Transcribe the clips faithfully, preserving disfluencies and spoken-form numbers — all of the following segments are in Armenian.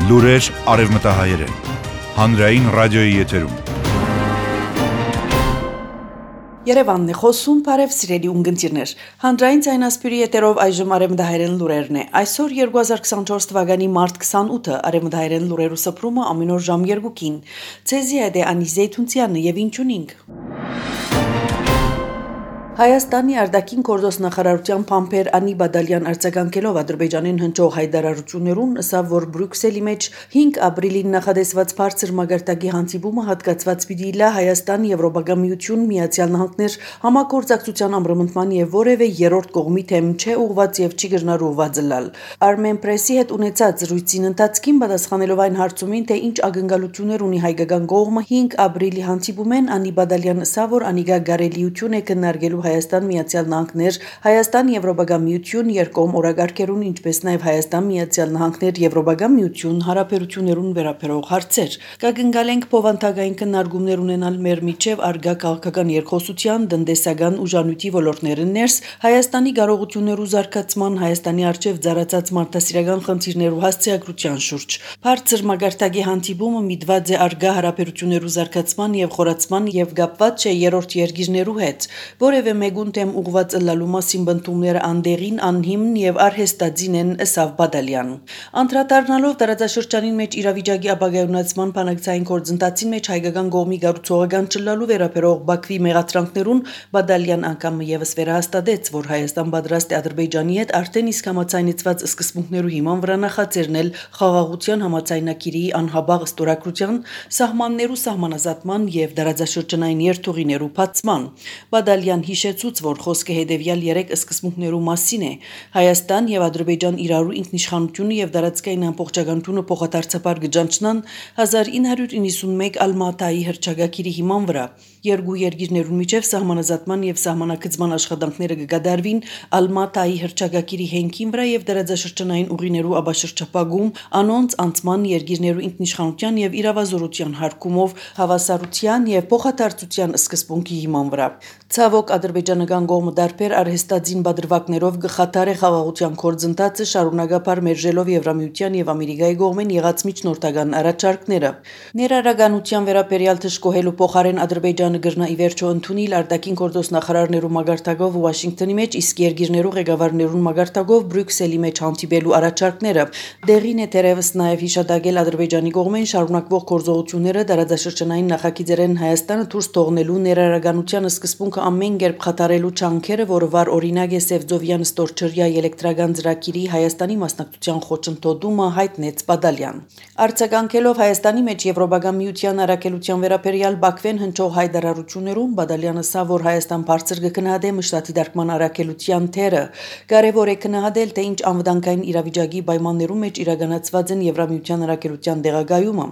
Լուրեր արևմտահայերեն, հանրային ռադիոյի եթերում։ Երևանն է խոսում, բարև սիրելի ունգընտիրներ։ Հանրային ցայնասպյուրի եթերով այժմ արևմտահայերեն լուրերն է։ Այսօր երկու հազար քսանչորս թվականի մարտ քսանութը արևմտահայերեն լուրերու սփռումը ամեն օր ժամ երկուին։ Ցեզի հետ է Անի Զեյթունցյանը եւ ինչունինք։ Հայաստանի արտաքին գործոստ նախարարության փամփեր Անի Բադալյան արձագանքելով Ադրբեջանին հնչող հայտարարություններուն, ասավ, որ Բրյուսելի մեջ հինգ ապրիլին նախադեсված բարձր մագարտակի հանդիպումը հատկացված պիտի լա Հայաստան, Եվրոպական միություն, Միացյալ Նահանգներ համագործակցության ամրապնդման եւ որևէ երրորդ կողմի թեմ չէ ուղված եւ չի գնահատված լալ։ Armen Press-ի հետ ունեցած զրույցին ընթացքին պատասխանելով այն հարցումին, թե ինչ ակնկալություններ ունի հայկական կողմը հինգ ապրիլի հանդիպումեն, Անի Բադալյան ասավ, որ անիկա գարելիություն է քննարկելու Հայաստան Միացյալ Նահանգներ, Հայաստան Եվրոպական միություն երկկողմ օրակարգերուն, ինչպես նաև Հայաստան Միացյալ Նահանգներ Եվրոպական միություն հարաբերություններուն վերաբերող հարցեր։ Կգնկալենք փոխանցական քննարկումներ ունենալ մեր միջև արգա քաղաքական երկխոսության, տնտեսական ուժանույթի ոլորտներն ներս, Հայաստանի կարողություններու զարգացման, Հայաստանի արչև ծառացած մարդասիրական խնդիրներու հասցեագրության շուրջ։ Բարձր մագարտակի հանդիպումը միտված է արգա հարաբերություններու զարգացման եւ խորացման եւ կապված չէ երրորդ երկիրներու հետ, որևէ մեգուն թեմ ուղված ըլլալու մասին բնդումները անդեղին, անհիմն եւ արհեստածին են, ըսավ Բադալյան։ Անդրադառնալով տարածաշրջանին մեջ իրավիճակի ապագայունացման բանակցային գործընթացին մեջ հայկական կողմի գառուցողական ճլալու վերաբերող Բաքվի մեղադրանքներուն, Բադալյան անգամ եւս վերահաստատեց, որ Հայաստան պատրաստ է Ադրբեջանի հետ արդեն իսկ համաձայնեցված սկզբունքներու հիման վրա նախաձեռնել խաղաղության համաձայնագիրի անհաբաղ ստորագրության, սահմաններու սահմանազատման եւ տարածաշրջանային երթուղիներու բացման։ Բադալյան հիշեցուց, որ խոսքը հետևյալ երեք սկզբունքներու մասին է. Հայաստան եւ Ադրբեջան իրարու ինքնիշխանությունը եւ տարածքային ամբողջականությունը փոխադարձաբար կճանչնան հազար ինը հարյուր իննսունմեկ Ալմատայի հռչակագիրի հիման վրա։ Երկու երկիրներուն միջև սահմանազատման եւ սահմանակցման աշխատանքները կկատարվին Ալմատայի հռչակագիրի հենքին վրա եւ տարածաշրջանային ուղիներու աբաշրջապագում անոնց անցման երկիրներու ինքնիշխանության եւ իրավազորության հարկումով հավասարության եւ փոխադարձության սկզբունքի հիման վրա։ Ցավոք ադրբեջանական կողմը դարբեր արհեստածին բادرվակներով գխաթար է խաղաղության գործընթացը շարունակապար մերժելով Եվրամիության եւ Ամերիկայի կողմեն եղած միջնորդական առաջարկները։ Ներառականության վերաբերյալ թշկոհելու փոխարեն Ադրբեջանը գրնա ի վերջո ընդունել արտաքին գործոստ նախարարներու մագարտակով Վաշինգտոնի մեջ, իսկ երկիրներու ղեկավարներուն մագարտակով Բրյուսելի մեջ հանդիպելու առաջարկները։ Դեղին է թերևս նաեւ հիշադակել Ադրբեջանի կողմեն շարունակվող գործողությունները տարածաշրջանային նախագիծերեն Հայաստանը դուրս թողնելու ներառականության սկզբունքը ամեն կերպ խաթարելու չանքերը, որը վար օրինակ է Սևծովյան ստորջրյա էլեկտրական ծրագիրի Հայաստանի մասնակցության խոչընդոտումը, հայտնեց Բադալյան։ Արձագանքելով Հայաստանի մեջ Եվրոպական միության առաքելության վերաբերյալ Բաքվեն հնչող հայտարարություններում, Բադալյանը ասավ, որ Հայաստան բարձր կգնահատե մշտատի դարկման առաքելության թերը։ Կարևոր է գնահատել, թե ինչ անվտանգային իրավիճակի պայմաններում մեջ իրականացված են Եվրամիության առաքելության դեղագայումը։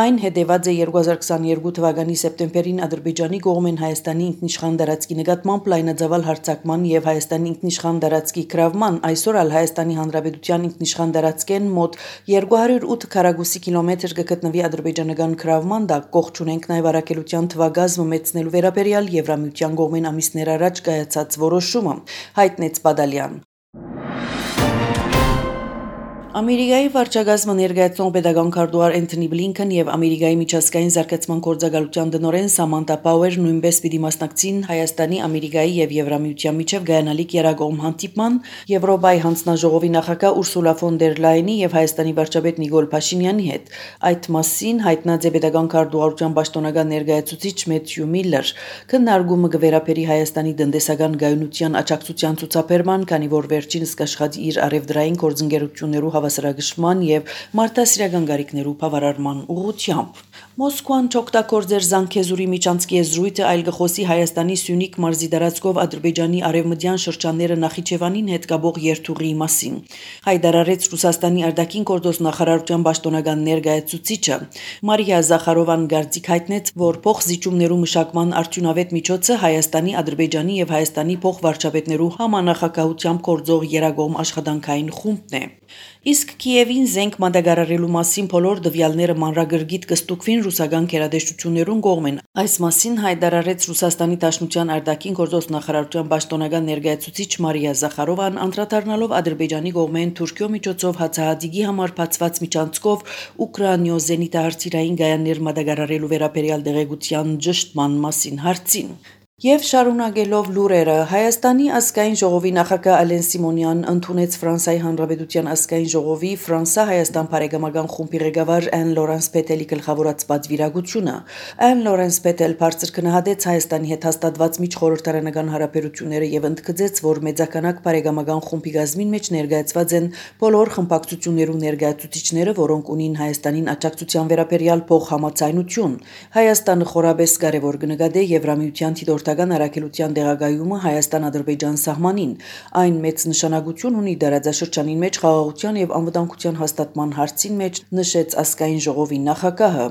Այն հետևած է երկու հազար քսաներկու թվականի սեպտեմբերին Ադրբեջանի կողմեն Հայաստանի ինքնիշխան տարածքի նկատմամբ լայնածավալ հարձակման եւ Հայաստանի ինքնիշխան տարածքի գրավման, այսօր ալ Հայաստանի Հանրապետության ինքնիշխան տարածքեն մոտ երկու հարյուր ութ քառակուսի կիլոմետր կգտնվի ադրբեջանական գրավման տակ, կողջ ունենք նաեւ առաքելության թվագազմը մեծնելու վերաբերյալ Եվրամիության կողմեն ամիսներ առաջ կայացած որոշումը, հայտնեց Բադալյան։ Ամերիկայի վարչակազմը ներկայացնող պետական քարտուղար Էնթոնի Բլինքեն եւ Ամերիկայի միջազգային զարգացման գործակալության տնօրեն Սամանթա Պաուեր նույնպես պիտի մասնակցին Հայաստանի, Ամերիկայի եւ Եվրամիության միջև գայանալիք երակողմ հանդիպման, Եվրոպայի հանձնաժողովի նախագահ Ուրսուլա ֆոն դեր Լայենի եւ Հայաստանի վարչապետ Նիկոլ Փաշինյանի հետ։ Այդ մասին հայտնած է պետական քարտուղարության պաշտոնական ներկայացուցիչ Մեթյու Միլլեր։ Քննարկումը կվերապերի Հայաստանի տնտեսական գայունության աջակցության ցուցաբերման, քանի որ վերջինս կաշխատի իր արևդրային գործընկերություններու հավասարակշռման եւ մարդասիրական գարիկներու բավարարման ուղղությամբ։ Մոսկվան չօգտագործեր Զանգեզուրի միջանցքի եզրույթը այլ գխոսի Հայաստանի Սյունիք մարզի տարածքով Ադրբեջանի արևմտյան շրջանները Նախիջևանին հետ կապող երթուղի մասին։ Հայտարարեց Ռուսաստանի արտաքին գործոստ նախարարության պաշտոնական ներկայացուցիչը։ Մարիա Զախարովան գարցիկ հայտնեց, որ փոխզիջումներու մշակման արդյունավետ միջոցը Հայաստանի, Ադրբեջանի եւ Հայաստանի փոխվարչապետներու համանախագահությամբ գործող երակողմ աշխատանքային խումբն է։ Իսկ Կիևին զենք մատակարարելու մասին բոլոր դվյալները մանրագրգիռ կստուգվին ռուսական գերատեսչություններուն կողմեն։ Այս մասին հայտարարեց Ռուսաստանի Դաշնության արտաքին գործոս նախարարության պաշտոնական ներկայացուցիչ Մարիա Զախարովան, անդրադառնալով Ադրբեջանի կողմեն Թուրքիո միջոցով հացահատիկի համար բացված միջանցքով Ուկրաինո զենիտահրթիռային գայաններ մատակարարելու վերաբերյալ դեղեցության ճշտման մասին հարցին։ Եվ շարունակելով լուրերը, Հայաստանի ազգային ժողովի նախագահ Ալեն Սիմոնյան ընդունեց Ֆրանսիայի Հանրապետության ազգային ժողովի Ֆրանսա-Հայաստան բարեկամական խումբի ղեկավար Ան Լորենս Պետելի գլխավորած պատվիրակությունը։ Ան Լորենս Պետել բարձր գնահատեց Հայաստանի հետ հաստատված միջխորհրդարանական հարաբերությունները եւ ընդգծեց, որ մեծականակ բարեկամական խումբի գազմին մեջ ներկայացված են բոլոր խմբակցություններու ներկայացուցիչները, որոնք ունին Հայաստանին աջակցության վերաբերյալ փոխհամաձայնություն։ Հայաստանը խորաբես կարևոր կնկատե Եվրամիության Տորտական առաքելության դեղագայումը Հայաստան-Ադրբեջան սահմանին։ Այն մեծ նշանակություն ունի դարաձաշրջանին մեջ խաղաղության եւ անվտանգության հաստատման հարցին մեջ, նշեց ազգային ժողովի նախագահը։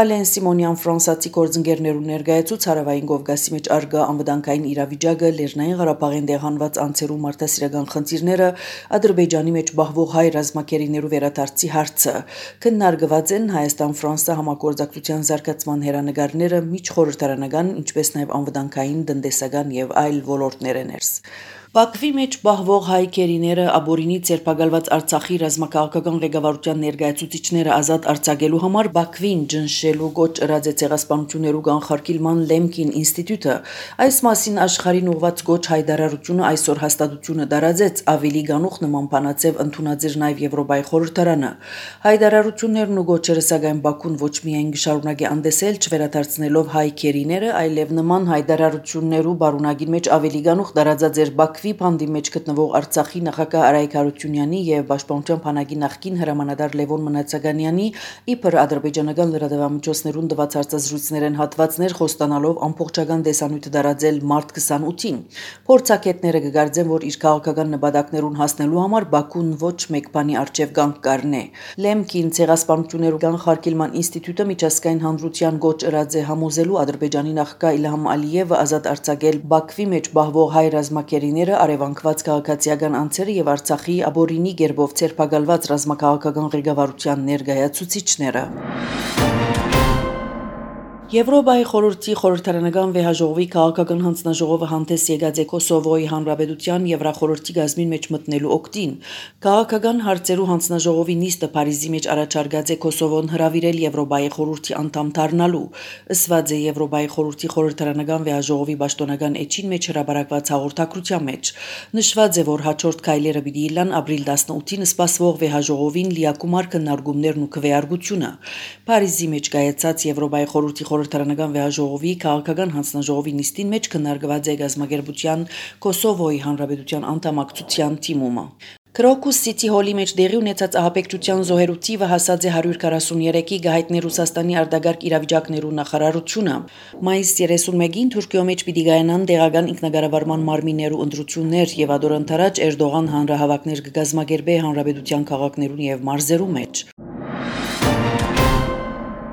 Ալեն Սիմոնյան ֆրանսիացի գործընկերներու ներկայացուց Հարավային Կովկասի մեջ արգա անվտանգային իրավիճակը, Լեռնային Ղարաբաղին դեղանված անձերու մարդասիրական խնդիրները, Ադրբեջանի մեջ բախվող հայ ռազմակերիներու վերադարձի հարցը։ Քննարկված են Հայաստան-Ֆրանսա համագործակցության զարգացման հերանեկարները, միջխորհրդարանական, ինչպես նաեւ անվտանգային, տնտեսական եւ այլ ոլորտներներս։ Բաքվի մեջ բահվող հայ քերիները ապօրինի ցերպակալված Արցախի ռազմաքաղաքական ղեկավարության ներկայացուցիչները ազատ արձակելու համար Բաքվին ջնշելու գոչ ըրած է ցեղասպանություններու կանխարգելման Լեմկին ինստիտուտը։ Այս մասին աշխարհին ուղված գոչ հայտարարությունը այսօր հաստատությունը դարաձեց, ավելի գանուխ նման բանացև ընդունածիր նաեւ Եվրոպայի խորհրդարանը։ Հայտարարություններն ու գոչերը սակայն Բաքուն ոչ միայն գշարունակի անդեսել չվերադարձնելով հայ քերիները, այլև նման հայտարարություններու բարունակին մեջ ավելի գանուխ դարաձած էր Բաքվի բանդի մեջ գտնվող Արցախի նախագահ Արայք Հարությունյանի եւ Պաշտպանության բանակի նախկին հրամանատար Լևոն Մնացականյանի իբր ադրբեջանական լրատվամիջոցներուն տված հարցազրույցներեն հատվածներ խոստանալով ամբողջական դեսանյութը դարաձել մարտ քսանութին։ Փորձագետները կգարձեն, որ իր քաղաքական նպատակներուն հասնելու համար Բաքուն ոչ մեկ բանի արժեվ կանգ կառնե։ Լեմկին ցեղասպանություններու կանխարգելման ինստիտուտը միջազգային հանրության գոչ ըրած է համոզելու Ադրբեջանի նախագահ Իլհամ Ալիևը ազատ արձակել Բաքվի մեջ բահվող հայ ռազմակերիները, արևանկված քաղաքացիական անձերը եւ Արցախի ապօրինի գերբով ցերպակալված ռազմաքաղաքական ղեկավարության ներկայացուցիչները։ Եվրոպայի խորհրդի խորհրդարանական վեհաժողովի քաղաքական հանձնաժողովը հանդես եկած է Կոսովոյի հանրապետության Եվրախորհրդի գազմին մեջ մտնելու օգտին։ Քաղաքական հարցերու հանձնաժողովի նիստը Փարիզի մեջ առաջարկած է Կոսովոն հրավիրել Եվրոպայի խորհրդի անդամ դառնալու։ Ըսված է Եվրոպայի խորհրդի խորհրդարանական վեհաժողովի պաշտոնական էջին մեջ հրապարակված հաղորդակցության մեջ։ Նշված է, որ հաջորդ քայլերը պիտի լան ապրիլ տասնութին սպասվող վեհաժողովին լիակումար քննարկումներն ու քվեարկությունը։ Փարիզի մեջ կայացած Եվրոպայի խորհրդի խորհրդարանական վեհաժողովի քաղաքական հանձնաժողովի նիստին մեջ քննարկված է գազագերբության Կոսովոյի հանրապետության անդամակցության թիմումը։ Քրոկուս Սիթի հոլի մեջ դեղի ունեցած ահաբեկչության զոհերու թիվը հասած է հարյուր քառասուններեքի գահիտնի Ռուսաստանի արտագարկ իրավիճակներու նախարարությունը։ Մայիս երեսունմեկին Թուրքիո մեջ պիտի գայանան տեղական ինքնագարավարման մարմիններու ընտրություններ եւ ադոր ընթരാճ Էրդողան հանրահավաքներ կգազմագերբե հանրապետության քաղաքներուն եւ մարզերու մեջ։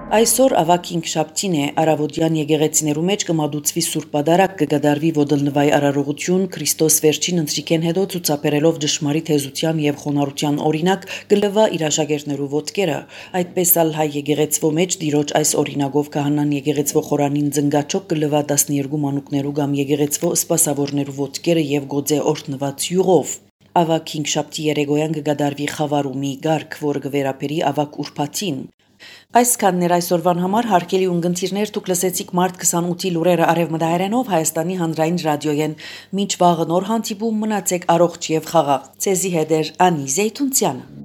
Այսօր ավակ հինգշաբթին է, Արավոտյան եկեղեցիներու մեջ կմադուցվի Սուրբ Պատարագ, կգադարվի ոդլնվայ արարողություն, Քրիստոս վերջին ընթրիքեն հետո ցուցաբերելով ճշմարիտ հեզության եւ խոնարհության օրինակ, կլվա իր աշակերտներու ոտքերը։ Այդպես ալ հայ եկեղեցվո մեջ դիրոջ այս օրինակով կահանան եկեղեցվո խորանին ծնգաչոք կլվա տասներկու մանուկներու կամ եկեղեցվո սպասավորներու ոտքերը եւ գոձե օրտնված յուղով։ Ավակ հինգշաբթի երեկոյան կգադարվի խավարումի գարկ, որը կվերապերի ավակ ուրբաթին։ Այսքաններ այսօրվան համար հարգելի ունգընտիրներ, դուք լսեցիք մարտ քսանութի լուրերը արևմտահայերենով Հայաստանի հանրային ռադիոյեն։ Մինչ վաղը նոր հանդիպում, մնացեք առողջ եւ խաղաղ։ Ցեզի հետ էր Անի Զեյթունցյանը։